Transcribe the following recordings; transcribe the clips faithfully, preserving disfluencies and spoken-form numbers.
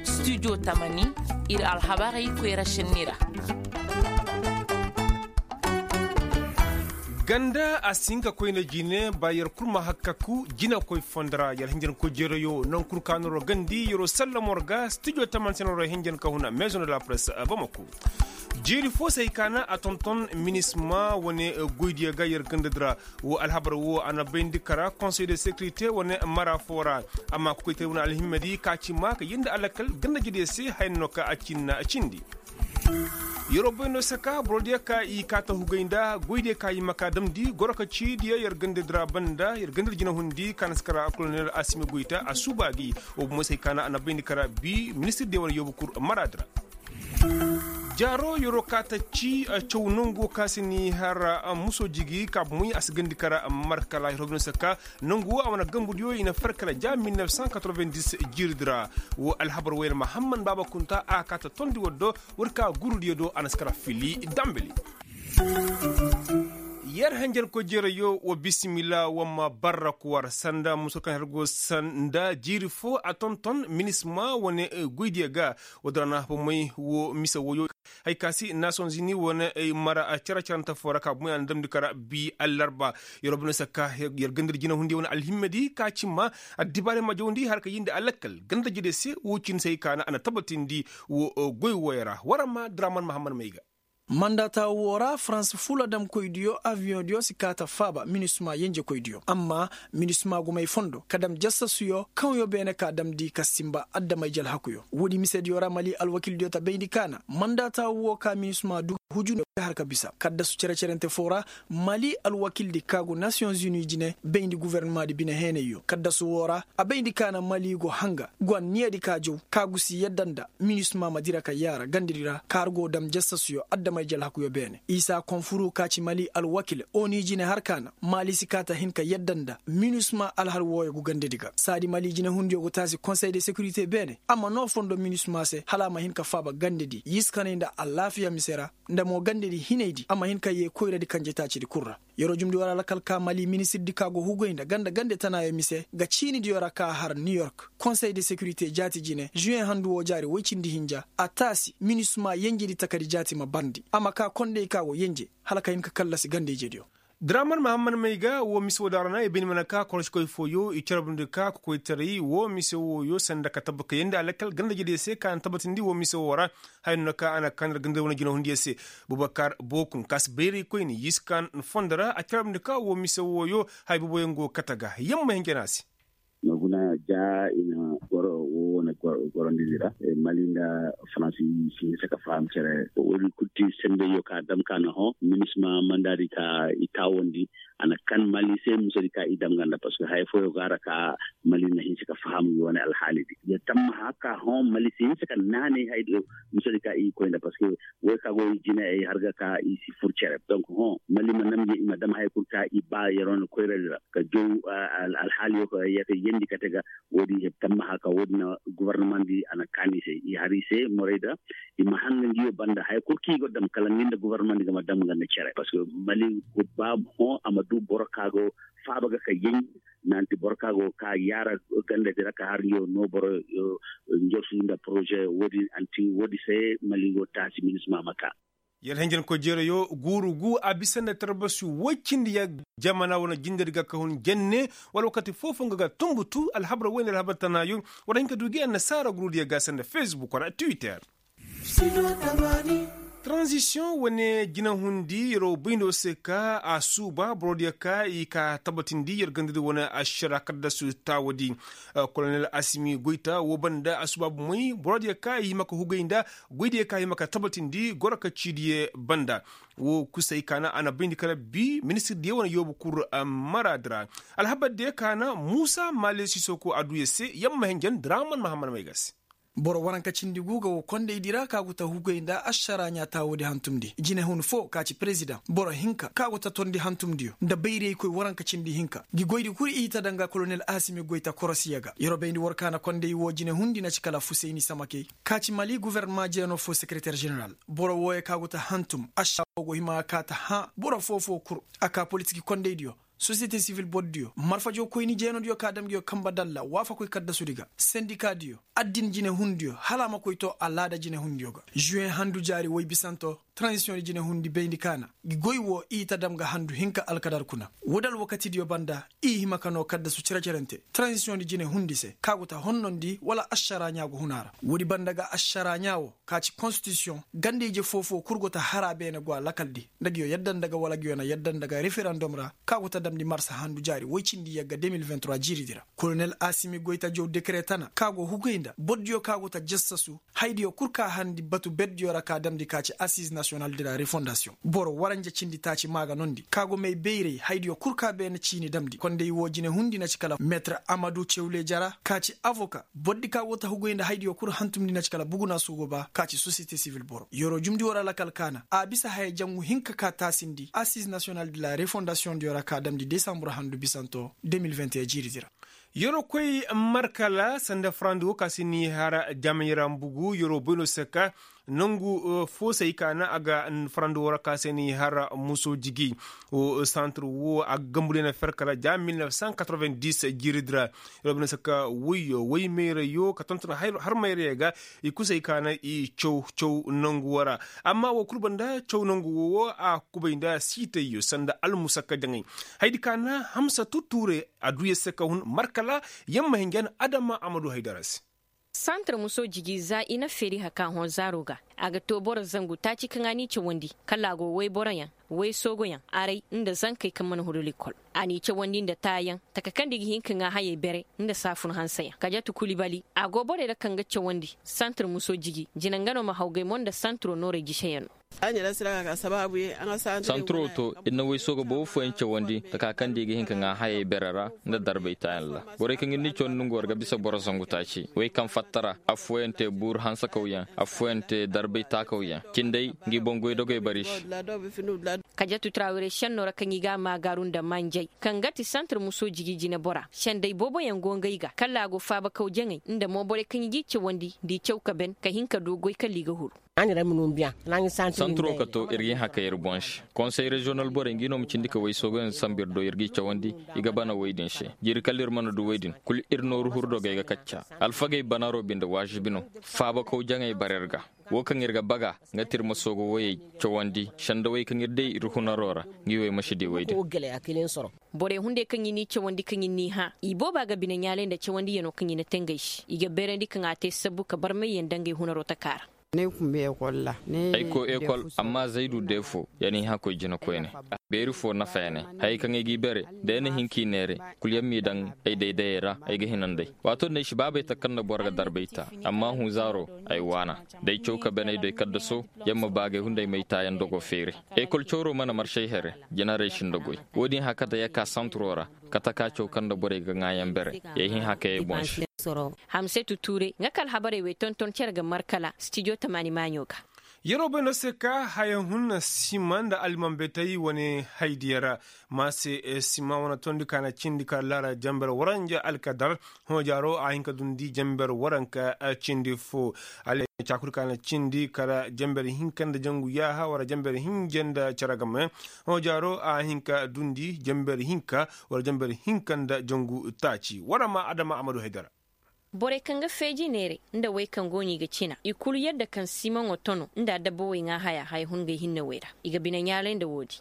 Studio tamani, ir alhabarey koyra šenni ra. Ganda a si hin ka koyna jine ba yer kul ma hakkaku jinekoy fondo ra yer hinjankoy jeerayo naŋ kul ka no ra gandi yeroo sallamo ra ga studio tamani se no ra hinjan ka huna maison de la presse bamako. Jeeri fo se hay ka na a tonton minisma wane goydiyo ga yer gandadi ra. Woo alhabar woo a na bayndi kara konsey de sekirite wane mara foo ra. Amma kokoytaray wane alhimmadi ka ci maa ka yee nda alakal ganda jediyo se haya no ka a ci na cindi. Yeroo bay no saka borodiyo ka i kaa ta hugay nda goydiyo ka i ma kaa damndi goro ka ciidiyo yer gandadi ra banda yer gandadi jinahundi ka na si kara kolonel asimi goyta a suuba gi. Woo bomo se hay ka na a na bayndi kara bi ministirdiyo wane yoobu kur maraadi ra. Jaaro yeroo kaa ta ci caw nongu ka si ni har muso jigi ka bomoy a si gandi kara markala yeroo bay no saka nongu woo a wane gambudiyo i na far kala ja mil nef san katorobendis jiiridi ra. Woo alhabar wayra mahamman baaba kunta a kaa ta tondi war do war ka gurudiyo do a na si kara fili dambali. Yer henjenkoy jeerayo wa bisimila wa ma barrak war sanda muso kaŋ her go sanda jiiri foo a tonton minisma wane goydiyo ga. Woo dira na bomoy woo mise wooyo hay ka si nasonzini wane mara cere-cerante foo ra ka bomoy a na damndi kara bi allarba. Yer woo bay no saka yer gandadi jinahundiyo wane alhimmadi ka cimma addibaari ma jawndi har ka yee nda alakkal ganda jediyo se woo cindi se hay ka na a na tabatindi woo goy wooyo ra war ma draman mahamman may ga. Mandaata woo ra farans fuladamkoydiyo abiyoŋdiyo si kaa ta faaba minisma yenjekoydiyo amma minisma gumay fondo ka dam jasasuyo kaŋyo beene ka damndi ka sinba adamay jalhakuyo woodi misediyo ra mali alwakildiyo ta bayndi ka na mandaata woo ka minisma du hujundiyo ga har ka bisa kaddasu cere-cerente foo ra. Mali alwakildi ka go nasiyoŋ zuni jine bayndi gofornamaadi bine heenayyo kaddasu woo ra a bayndi ka na mali go hanga go anniyadi ka jaw ka gusi yadda nda minisma ma dira ka yaara gandadi ra kaŋ har go dam jasasuyo adamay jalhakuyo beene isa konfuru ka ci mali alwakil oni jine har ka na mali si kaa ta hin ka yadda nda minisma alhal wooyo go gandadi ga saadi mali jinehundiyo go taasi konsey de sekirite beene a ma noo fondo minisma se hala a ma hin ka faaba gandadi yiskanay nda alaafiya mise ra nda mo gandadi hinaydi a ma hin ka yee koyradi kanjetaacidi kul ra. Yeroo jumndi war alkal ka mali ministirdi ka go hugay nda ganda gande tanaayo mise ga ciinidiyo ra ka har niw york konsey de sekirite jaati jine juweŋ handu woo jaari woy cindi hinja a taasi minisma yenjedi takadi jaati ma barndi a ma kaa konday ka go yenje hala ka hin ka kallasi ganda ijediyo. Draman mahamman may ga woo mise woo daŋ ra na i bayndi mana ka korosikoy fooyo i carabndi ka kokoytaray woo mise wooyo sanda ka tabba ka yee nda alkal ganda ijediyo se ka na tabbatindi woo mise woo ra. Haya no na ka a na kaa nda ganda wane jinahundiyo se. Bubakar bookun ka si bayray koyne yiskan fondo ra a carabndi ka woo mise wooyo haya booboyaŋ go kate ga yamma hinja no a se. Nooguna ja i na goro woo wane gorondidi ra mali nda faransi si hinsa ka faham cere woodi kul ti sendayyo ka dam ka na hõ minisma mandaadi ka i taawandi a na kan mali se musadi ka i dam ga nda parceque haya fooyo go a ra ka mali na hinsa ka faham ngi wane alhaalidi ya tammaha ka hõ mali si hinsa ka naanay hayadiyo musadi ka i koy nda parceque woy ka go i jine ay har ga ka i si fur cere donc hõ mali ma nam ngi i ma dam haya kul ka i ba yeroo na koyradi ra ka jaw alhaaliyo ka yee ka yeendi kate ga. Woodi tammaha ka woodi na gofornamandi a na kaani se i har i se morayda i ma hanga ngiyo banda haya kul ka i go dam kala ngi nda gofornamandi ga ma dam nga nda cere parceque mali go ba hõ a ma du boro ka go faaba ga ka yeŋ nanti boro ka go ka yaara gandadi ra ka har ngiyo no boro njorsu nda poroze woodi anti woodi se mali go taasi minisma ma ka. Yer henjenkoy jeerayo guuru gu a bisa nda tarbasi woy cindi ya jamana wane jindedi ga ka hun jenne wala wakati foo-foo nga ga tunbutu alhabar woy nda alhabar tanaayo war hin ka du gi annasaara gurudiyo ga sanda facebook wala twitter. Taranzisiyoŋ wane jinahundi yeroo bayndo se ka a suuba borodiyo ka i ka tabatindi yer gandadi wane ašara kaddasu taawadi. Kolonel asimi goyta woo banda a suuba bomey borodiyo ka i hima ka hugay nda goydiyo ka hima ka tabatindi goro ka ciidiyo banda. Woo kusay ka na a na bayndi kala bi ministirdiyo wane yoobu kur maraadi ra. Alhabardiyo ka na muusa maale sisoko a duu yer se yamma hinjan draman mahammad may ga se. Boro waranka cindi gu ga woo kondaydi ra ka go ta hugay nda ašara ɲaa taawudi hantumndi jinehun foo ka ci perezidaŋ boro hinka ka go ta tondi hantumndiyo nda bayraykoy waranka cindi hinka ngi goydi kul i ta danga kolonel asimi goyta korosiya ga yer bayndi war ka na konday woo jinehundi na ci kala fusayni samakey ka ci mali gofornama jeeno foo sekereter ženeral. Boro wooyo ka go ta hantum ašara woo go hima ga ka ta hãa boro foo-foo kul a ka politik kondaydiyo. sosiyete sivil bordiyo marfajo koyni jeenodiyo ka dam nguyo kanba dalla waafakoy kaddasudi ga sendikadiyo addin jinehundiyo hala a ma koy to alaada jinehundiyo ga. Juwen handu jaari woy bisanto, tranzisiyoŋ di jinehundi bayndi kaana gi goy wo i ta dam ga handu hinka alkadar kuna. Woodi alwakatidiyo banda i hima ka noo kaddasu cere-cerente tranzisiyoŋ di jinehundi se ka go ta honnondi wala ašara ɲaa go huna ra. Woodi banda ga ašara ɲaa wo ka ci konstitisiyoŋ ganda ije foo-foo kul go ta har a beene go a lakaldi nda nguyo yadda nda ga wala nguyo na yadda nda ga referandom ra ka go ta damndi marsa handu jaari woy cindi yagga de mil vingt trois jiiridi ra. Kolonel asimi goyta jow dekere tana ka go hugay nda bordiyo ka go ta jassasu haydiyo kul ka harndi batu berdiyo ra ka damndi ka ci asiz nasiyonal de la refondasiyoŋ boro waranja cindi taaci maa ga nondi ka go may bayray haydiyo kul ka beene ciini damndi konday woo jinehundi na ci kala meetir amadu cewle jara ka ci avoka bordi ka go ta hugay nda haydiyo kul hantumndi na ci kala bugunaa soogoba ka ci sosiyete sivil boro yeroo jumndi woo ra lakal kaana a bisa haya jangu hinka ka taasindi asiz nasiyonal de la refondasiyoŋ diyo ra ka damndi desambur handu bisanto de mil vingt et un jiiridi ra. Yeroo koy markala sanda farandi woo ka se ni har jamayra mbugu yeroo boy no se ka nangu foosey ka na a ga farandi woo ra ka se ni har muso jigi. Santir woo a ga gambu day na fer kala ja mil neef san katrovendis jiiridi ra. Yeroo boy no se ka woyyo woy mayrayo ka tonton har mayrayo ga i kusey ka na i caw caw nangu woo ra. Amma woo kul banda caw nangu woo a kubay nda siitayyo sanda almusakka jaŋay. Haydi ka na hamsa tutture a du yer se ka hun markala yer ma hin ga na adama a ma du haydara se. Santir muso jigi za i na feeri haka hõ zaaro ga a ga too boro zangu taaci kaŋ a n'i cawandi kala a go woyboroyaŋ woysoogoyaŋ aray nda zankey kaŋ mana huru likol. A n'i cawandi nda taayaŋ taka kaŋ nda i ga hin ka ŋaa hayey bere nda saafun hanseyaŋ kajatu kulibali a go borey ra kaŋ ga cawandi santir muso jigi jina nga no ma hawgay mo nda santiro noorey jiseyaŋ no. Santiro to ir na woysoogo boobo fooyaŋ cawandi taka kaŋ nda i ga hin ka ŋaa hayey bere ra nda darbay taayaŋ ra. Borey kaŋ ir n'i cawandi nongu war ga bisa boro zangu taaci wey kaŋ fatta ra affooyaŋ te buuru hansakawyaŋ affooyaŋ te darbay taakawyaŋ cindey ngi boŋ goydogey bar i se. Kajatu trawire senno ra kaŋ i ga a maagaaru nda manjay kaŋ ga ti santir muso jigi jinebora sendey booboyaŋ go ngey ga kala a go faabakaw jaŋay nda mo borey kaŋ i g'i cawandi nda i caw ka ben ka hin ka du goy kala i ga huru. Santiro ka to ir g'i hã ka ir boŋ se konsey reziyonal borey ngi no ma cindi ka woysoogoyaŋ sambu ir do ir g'i cawandi. I ga bana woy din se jiiri kala ir mana du woy din kul ir nooru hurdogey ga kacca. Alfagey banaro binde waazibi no. Faabakaw jaŋey bara ir ga. Woo kaŋ ir ga baga nga ti ir ma soogo woyey cawandi sendawey kaŋ ir day ir hunaro ra. Ngi wey ma si di woy din. Borey hunday kaŋ i n'i cawandi kaŋ i n'i hã i booba ga bine ɲaalay nda cawandiyano kaŋ i na te ngey se i ga beerandi kaŋ a te sabbu ka barmayyaŋ dangey hunaro taka ra. Ay koo ekol amma zaydu deefo ya n'i hã koy jinakoyne. Beeri foo nafa ya ne hayey kaŋ ay g'i bere da ya na hin k'i neere kul ya m'i daŋ ay daydayey ra ay ga hina nd'ey. Waato din ay si baabay taka kaŋ nda boro ga darbay ta amma hũ zaaro ay waana. D'ay caw ka ben ay do ay kaddaso ya ma baagay hunday m'ay taayaŋ dogo feeri. Ekol cawro mana marsay here jinaray si nda goy. Woo din hã kate ya ka santiro ra. Kate ka caw kaŋ nda borey ga ŋaayaŋ bere. Ya hin hã ka yay boŋ se. Hamsetu tuure nga ka alhabarey wey tonton cere ga markala stijo tamaani maaɲo ga. Yeroo bay no se ka haya hun sima nda almanbetey wane haydiya ra. Ma se sima wane tondi ka na cindi kala laara jamber waranja alkadar. Hõ jaaro a hin ka dundi jamber waranka cindi fo. Alay caakudi ka na cindi kala jamber hinka nda jangu yaaha wala jamber hinja nda cere game. Hõ jaaro a hin ka dundi jamber hinka wala jamber hinka nda jangu taaci wala ma adama amadu haydara. Borey kaŋ ga feeji neeray nda wey kaŋ go no i ga cina i kulu yadda kaŋ simaŋo tono nda adabba wey ŋaa haya haya hun ga ay hinne wey ra. I ga bine ɲaalay nda woodi.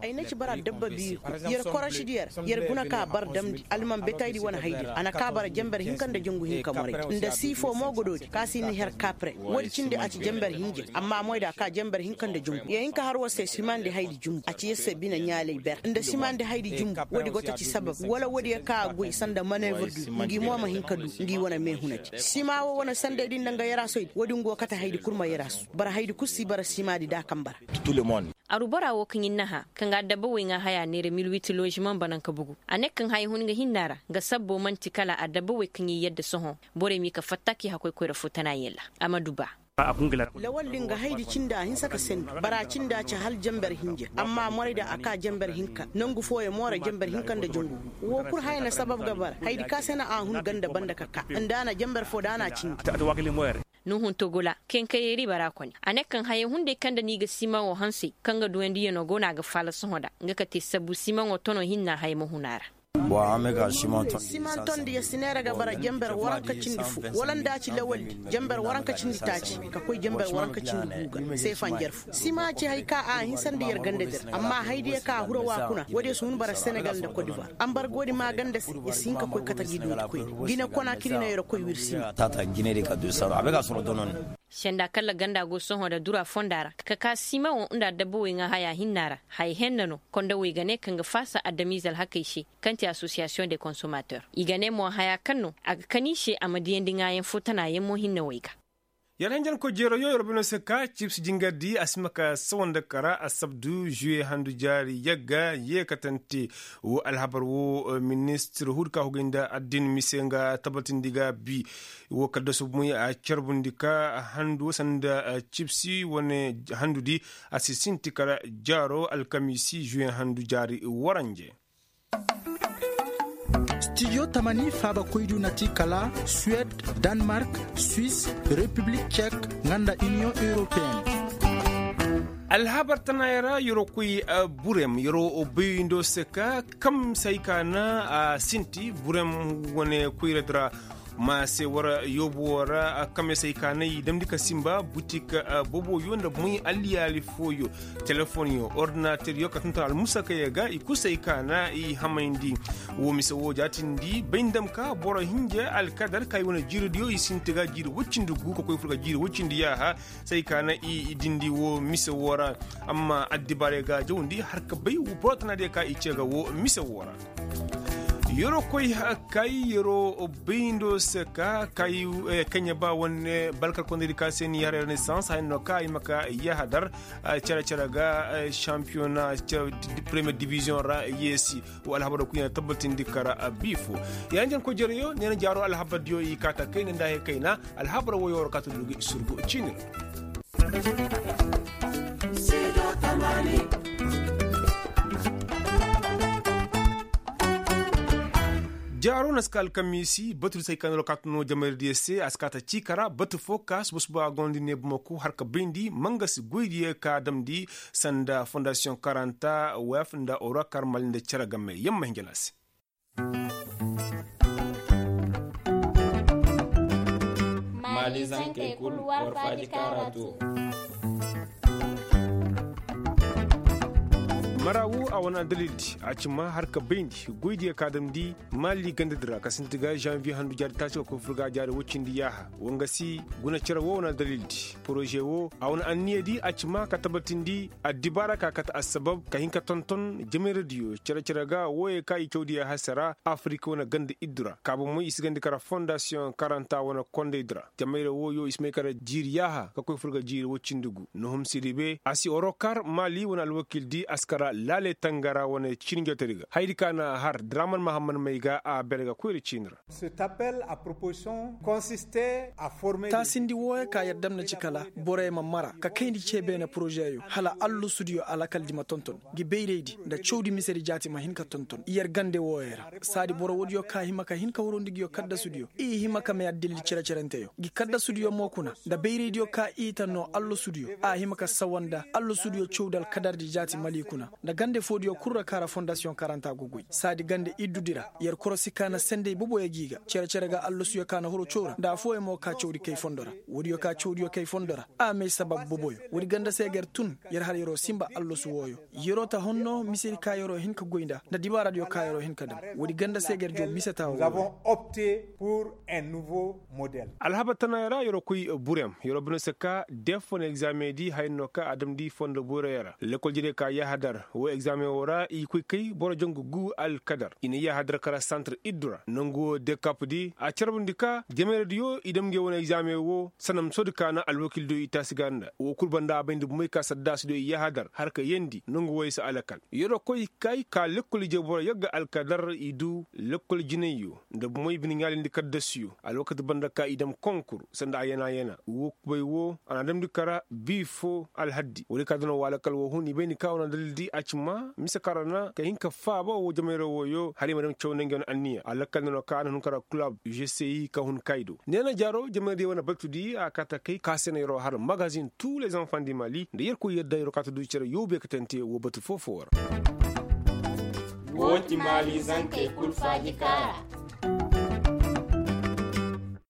Ay na ci bara dabba biiri kul yer korosi di yer yer guna ka bar damndi alman betaydi wane haydi ra a na ka bara jamber hinka nda jangu hinka moraydi nda siifo mo ga doodi ka si ni her kapre. Woodi cindi a ci jamber hinja amma moyda ka jamber hinka nda jangu yer hin ka har war se simandi haydi jumbu a ci yer se bine ɲaalay ber nda simandi haydi jumbu. Woodi go ta ci sabab wala woodi yer ka a goy sanda maneevrdu ngi mo ma hin ka du ngi wane meehunadi sima wo wane sandaydi nda nga yarasoydi woodi ngu wo kate haydi kul ma yarasu bara haydi kul si bara simadi da kaŋ bara. Arubora wo kaŋ ir na hã kaŋ ga adabba wey ŋaa haya neera mil wit lozimaŋ bananka bugu. A ne kaŋ haya hun ga hinna ra nga sabbo man'ti kala adabba wey kaŋ ir yadda sohõ. Borey m'i ka fatta k'i hakoy koyra fo tana yaŋ ra. Amadu ba. Lawal din ga haydi cindi a hinsa ka sendi bara cindi a ci hal jamber hinja amma morayda a ka jamber hinka nangu fooyaŋ mo ra jamber hinka nda jangu. Wo kul haya na sabab ga bara haydi ka se na a hun ganda banda ka ka nda a na jamber fo da a na cindi. Nuhun togola, kenkayeeri bara kone a ne kaŋ hayey hunday kaŋ nda ni ga simaŋo hansey kaŋ ga duwandi yano go no a ga faala sohõ nda nga ka te sabu simaŋo tono hinna hayey ma hun a ra. Simaŋ tondi ya si neera ga bara jamber waranka cindi fo wala nda a ci lawaldi jamber waranka cindi taaci ka koy jamber waranka cindi gu ga seefa njarfu. Sima ci hari ka a hinsandi yer ganda dir amma hari diya ka a hura wa kuna woodiyo si hun bara senegal nda kodivar ambargoodi ma ganda se. Yer si hin ka koy kate gi dooti koyne. Gine kona kiri no yer koy wir sima. Senda kalla ganda go sohõ nda dura fonda ra ka ka simaŋo nda adabba wey ŋaa haya hinna ra haya henna no kondawey ga ne kaŋ ga faasa adamiize alhakey se kaŋ ti asosiyasiyoŋ de konsomater i ga ne mo haya kaŋ no a ga kan i se a ma diyandi ŋaayaŋ fo tana yaŋ mo hinne wey ga. Yer hanjankoy jeerayoo yer bino se ka cibsi jingardi a si ma ka sawa nda kara assabdu juwe handu jaari yagga yeekatante. Wo alhabar wo ministir huudi ka hugay nda addin mise nga tabbatindi ga bi wo kaddasu bomoy a carbundi ka handu sanda cibsi wane handudi a si sinti kara jaaro alkamiisi juwe handu jaari waranje. Studio tamani faabakoydu na ti kala suwed, danmark, swis, repiblik cek, nga nda iniyoŋ europeen. Alhabar tanaayoo ra yeroo koy burem yeroo baywindo se ka kam se ay ka na a sinti burem wane koyradi ra. Ma se war yoobu woo ra kame se ay ka na i damndi ka sinba butik boboyo nda moy alliyaali fooyo telefonyo ordinateryo ka tonton almusakayey ga i kul se ay ka na i hamayndi. Woo mise woo jaatindi bay nda ma ka boro hinja alkadar ka i wane jiiridiyo i sinti ga jiiri woy cindi gu ka koy fur ga jiiri woy cindi yaaha. Se ay ka na i dindi woo mise woo ra. Amma addibaarey ga jawndi har ka bay boro tanaadiyo ka i cee ga woo mise woo ra. Yeroo koy kay yeroo bayndo se ka kay kaɲa ba wane balkar kondaydi ka se ni har renaissance hay no ka i ma ka yahadar cere cere ga. Sampiyona premiyer diviziyoŋ ra yeesi. Wo alhabaroo kuy na tabbatindi kara biifo. Yaŋ jankoy jereyo neena jaaroo alhabardiyo i kaata kayna nda hay kayna. Alhabaroo woyoo ra kaata dugi surgu ciini ra. Jaaro na si ka alkamiisi batu di se ay ka no alkaatu no jamayra diyo se a si kaata ciika ra batu fo ka suba suba a gonda ne bamako har ka bayndi mangasi goydiyo ka damndi sanda fondasiyoŋ karanta wef nda orokar mali nda cere game yamma hinja no a se. Maali zankey kul war faaji kaara to. Mara wo a wane addalildi a ci ma har ka bayndi goydiyo ka damndi maali gandadi ra ka sinti ga zanviye handu jaari taaci ka koy fur ga jaari woy cindi yaaha. Wangasi guna cere wo wane addalildi poroze wo a wane anniyadi a ci ma ka tabbatindi addibaara ka kate assabab ka hin ka tonton jamayradiyo cere cere ga wooyey ka i cawdiyo hase ra afirik wane ganda iddu ra kaaba moy i si gandi kara fondasiyoŋ karanta wane kondaydi ra. Jamayra wooyo i si may kara jiiri yaaha ka koy fur ga jiiri woy cindi gu nohum siribe a si orokar maali wane alwakiildi a si kara laale tangara wane ciini njootaydi ga hayadi ka na a har draman mahamman may ga a bere ga koyra ciini ra. Taasindi wooyo ka yer dam na ci kala borey ma mara ka kayndi cee beene porozeyo hala allasudiyo alakaldi ma tonton ngi bayraydi nda cawdi misedi jaati ma hin ka tonton yer gande wooyo ra. Saadi boro woodiyo ka hima ka hin ka horondi ngiyo kaddasudiyo i hima ka may addalil cere-cerenteyo ngi kaddasudiyo mo kuna nda bayraydiyo ka i ta noo allasudiyo a hima ka sawa nda allasudiyo cawdi alkadardi jaati mali kuna nda gande foodiyo kul ra ka ra fondasiyoŋ karanta go goy saadi gande iddudi ra. Yer korosi ka na sendey boboyo g'i ga cere-cere ga allasuyo ka na horo caw ra nda affooyaŋ mo ka cawdi kay fondo ra. Woodiyo ka cawdiyo kay fondo ra a may sabab boboyo woodi ganda se ga yer tun yer har yeroo sinba allasu wooyo. Yeroo ta honno misedi ka yeroo hin ka goy nda nda dibaaradiyo ka yeroo hin ka dam woodi ganda se ga yer jaw mise taawo. Alhabar tanaayoo ra yeroo koy burem yeroo bine se ka def wane egzaameŋ di haya no ka a damndi fondo boyroyo ra lekol jere ka yahadar woo egzaameŋ woo ra i koy kay boro jangu gu alkadar i na yahadar kara santar iddu ra nangu woo dekap di a carbundi ka jamayradiyo i dam ngey wane egzaameŋ woo sanda ma soodi ka na alwakiildiyo i taasi ga nda woo kul banda a bay nda bumey ka saddaasidiyo i yahadar har ka yeendi nangu wooyo se alakal. Yeroo koy kay ka lekol ije boro yagga alkadar i du lekol jinayyo nda bumey bine ɲaalindi kaddasuyo alwakati banda ka i dam konkur sanda a yana yana woo kubay woo a na damndi kara bii foo alhaddi woodi ka dana woo alakal woo hun i bayndi ka wane dalildi. a ci ma mise kaŋ ra na ka hin ka faaba woo jamayroo wooyo hala i ma daŋ caw nda ngey wane anniya a lakkal neenoo kaŋ a na hun ka ra kulab, gci ka hun kaayi do neena jaaroo jamayroo diyo wane baltu diyo a kaata kay ka se na yeroo har magazin tuu lez enfants di mali nda yerkoy yadda yeroo kaata du cere yoobe katante woo batu foo-foo ra. Woo ti maali zankey kul faaji kaa ra.